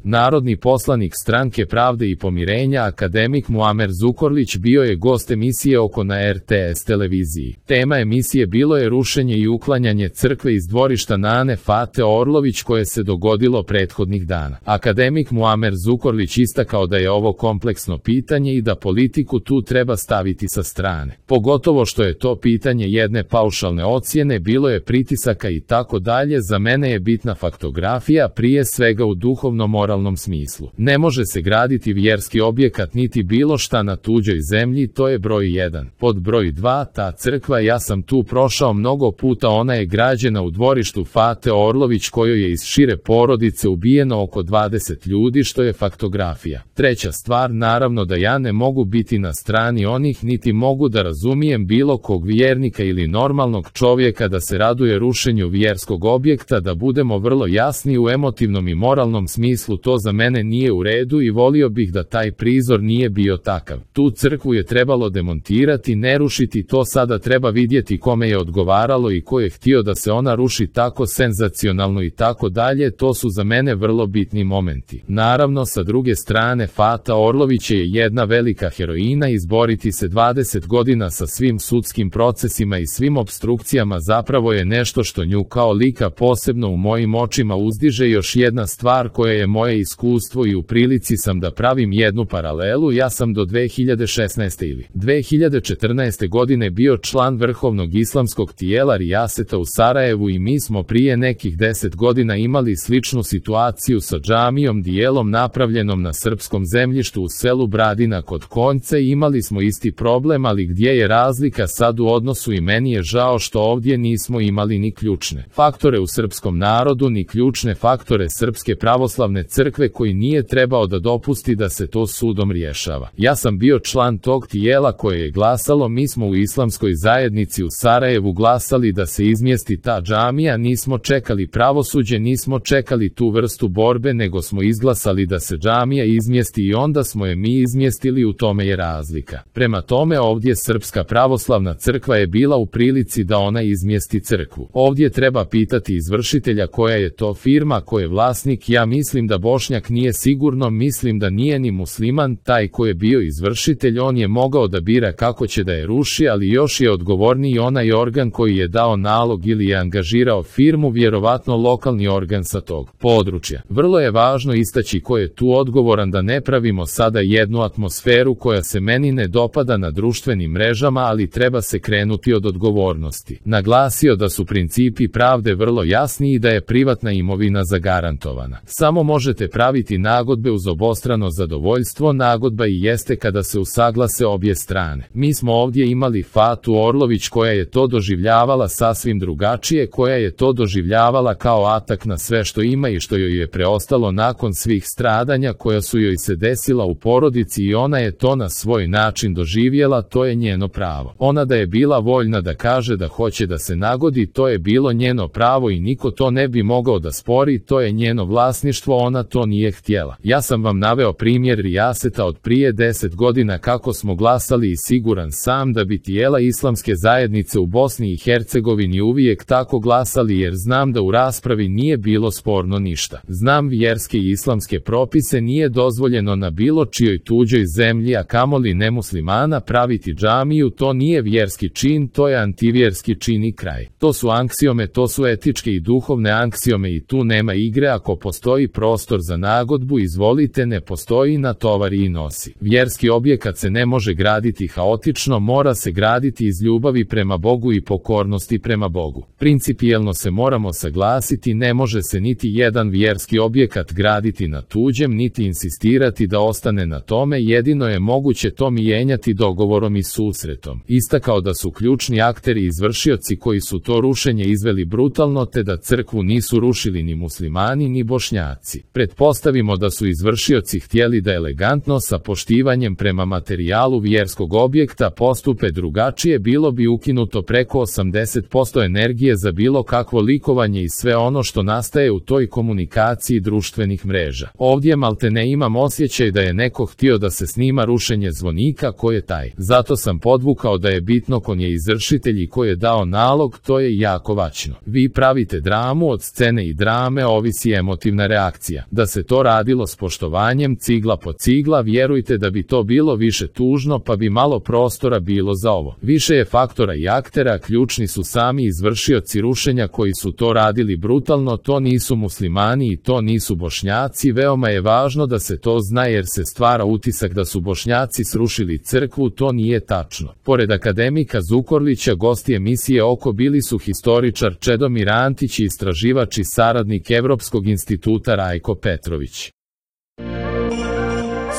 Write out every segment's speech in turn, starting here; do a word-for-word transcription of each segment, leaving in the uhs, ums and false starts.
Narodni poslanik Stranke pravde i pomirenja akademik Muamer Zukorlić bio je gost emisije Oko na er te es televiziji. Tema emisije bilo je rušenje i uklanjanje crkve iz dvorišta Nane Fate Orlović koje se dogodilo prethodnih dana. Akademik Muamer Zukorlić istakao da je ovo kompleksno pitanje i da politiku tu treba staviti sa strane. Pogotovo što je to pitanje jedne paušalne ocjene, bilo je pritisaka i tako dalje. Za mene je bitna faktografija, prije svega u duhovnom moralnom smislu. Ne može se graditi vjerski objekat niti bilo šta na tuđoj zemlji, to je broj jedan. Pod broj dva, ta crkva, ja sam tu prošao mnogo puta, ona je građena u dvorištu Fate Orlović kojoj je iz šire porodice ubijeno oko dvadeset ljudi, što je faktografija. Treća stvar, naravno da ja ne mogu biti na strani onih niti mogu da razumijem bilo kog vjernika ili normalnog čovjeka da se raduje rušenju vjerskog objekta. Da budemo vrlo jasni, u emotivnom i moralnom smislu to za mene nije u redu i volio bih da taj prizor nije bio takav. Tu crkvu je trebalo demontirati, ne rušiti, to sada treba vidjeti kome je odgovaralo i ko je htio da se ona ruši tako senzacionalno i tako dalje, to su za mene vrlo bitni momenti. Naravno, sa druge strane, Fata Orlović je jedna velika heroina, izboriti se dvadeset godina sa svim sudskim procesima i svim opstrukcijama zapravo je nešto što nju kao lika posebno u mojim očima uzdiže. Još jedna stvar koja je moje iskustvo i u prilici sam da pravim jednu paralelu, ja sam do dve hiljade šesnaeste ili dve hiljade četrnaeste godine bio član vrhovnog islamskog tijela Rijaseta u Sarajevu i mi smo prije nekih deset godina imali sličnu situaciju sa džamijom, dijelom napravljenom na srpskom zemljištu u selu Bradina kod Konjce. Imali smo isti problem, ali gdje je razlika sad u odnosu i meni je žao što ovdje nismo imali ni ključne faktore u srpskom narodu, ni ključne faktore Srpske pravoslavne crkve koji nije trebao da dopusti da se to sudom rješava. Ja sam bio član tog tijela koje je glasalo, mi smo u islamskoj zajednici u Sarajevu glasali da se izmjesti ta džamija, nismo čekali pravosuđe, nismo čekali tu vrstu borbe, nego smo izglasali da se džamija izmjesti i onda smo je mi izmjestili, u tome je razlika. Prema tome, ovdje Srpska pravoslavna crkva je bila u prilici da ona izmjesti crkvu. Ovdje treba pitati izvršitelja koja je to firma, ko je vlasnik. Ja mislim da Bošnjak nije, sigurno mislim da nije ni musliman taj ko je bio izvršitelj, on je mogao da bira kako će da je ruši, ali još je odgovorniji onaj organ koji je dao nalog ili je angažirao firmu, vjerovatno lokalni organ sa tog područja. Vrlo je važno istaći ko je tu odgovoran, da ne pravimo sada jednu atmosferu koja se meni ne dopada na društvenim mrežama, ali treba se krenuti od odgovornosti. Naglasio da su principi pravde vrlo jasni i da je privatna imovina zagarantovana. Samo možete praviti nagodbe uz obostrano zadovoljstvo, nagodba i jeste kada se usaglase obje strane. Mi smo ovdje imali Fatu Orlović koja je to doživljavala sasvim drugačije, koja je to doživljavala kao atak na sve što ima i što joj je preostalo nakon svih stradanja koja su joj se desila u porodici, i ona je to na svoj način doživjela, to je njeno pravo. Ona da je bila voljna da kaže da hoće da se nagodi, to je bilo njeno pravo i niko to ne bi mogao da spori, to je njeno vlasništvo, ona to nije htjela. Ja sam vam naveo primjer Rijaseta od prije deset godina kako smo glasali i siguran sam da bi tijela islamske zajednice u Bosni i Hercegovini uvijek tako glasali, jer znam da u raspravi nije bilo sporno ništa. Znam vjerske i islamske propise, nije dozvoljeno na bilo čijoj tuđoj zemlji, a kamoli nemuslimana, praviti džamiju, to nije vjerski čin, to je antivjerski čin i kraj. To su anksiome, to su etičke i duhovne anksiome i tu nema igre. Ako postoji prostor za nagodbu, izvolite, ne postoji, natovari i nosi. Vjerski objekat se ne može graditi haotično, mora se graditi iz ljubavi prema Bogu i pokornosti prema Bogu. Principijelno se moramo saglasiti, ne može se niti jedan vjerski objekat graditi na tuđem, niti insistirati da ostane na tome, jedino je moguće to mijenjati dogovorom i susretom. Istakao da su ključni akteri izvršioci koji su to rušenje izveli brutalno, te da crkvu nisu rušili ni muslimani ni Bošnjaci. Pretpostavimo da su izvršioci htjeli da elegantno, sa poštivanjem prema materijalu vjerskog objekta, postupe drugačije, bilo bi ukinuto preko osamdeset posto energije za bilo kakvo likovanje i sve ono što nastaje u toj komunikaciji društvenih mreža. Ovdje maltene imam osjećaj da je neko htio da se snima rušenje zvonika, ko je taj. Zato sam podvukao da je bitno kon je izvršitelj i ko je dao nalog, to je jako važno. Vi pravite dramu, od scene i drame ovisi emotivna reakcija. Da se to radilo s poštovanjem cigla po cigla, vjerujte da bi to bilo više tužno, pa bi malo prostora bilo za ovo. Više je faktora i aktera, ključni su sami izvršioci rušenja koji su to radili brutalno, to nisu muslimani i to nisu Bošnjaci. Veoma je važno da se to zna jer se stvara utisak da su Bošnjaci srušili crkvu, to nije tačno. Pored akademika Zukorlića, gosti emisije Oko bili su historičar Čedomir Antić i istraživač i saradnik Evropskog instituta Rajko Petrović.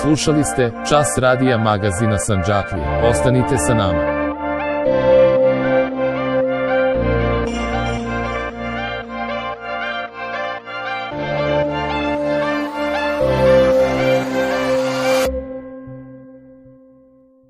Slušali ste Čas radija magazina Sandžaklija. Ostanite sa nama.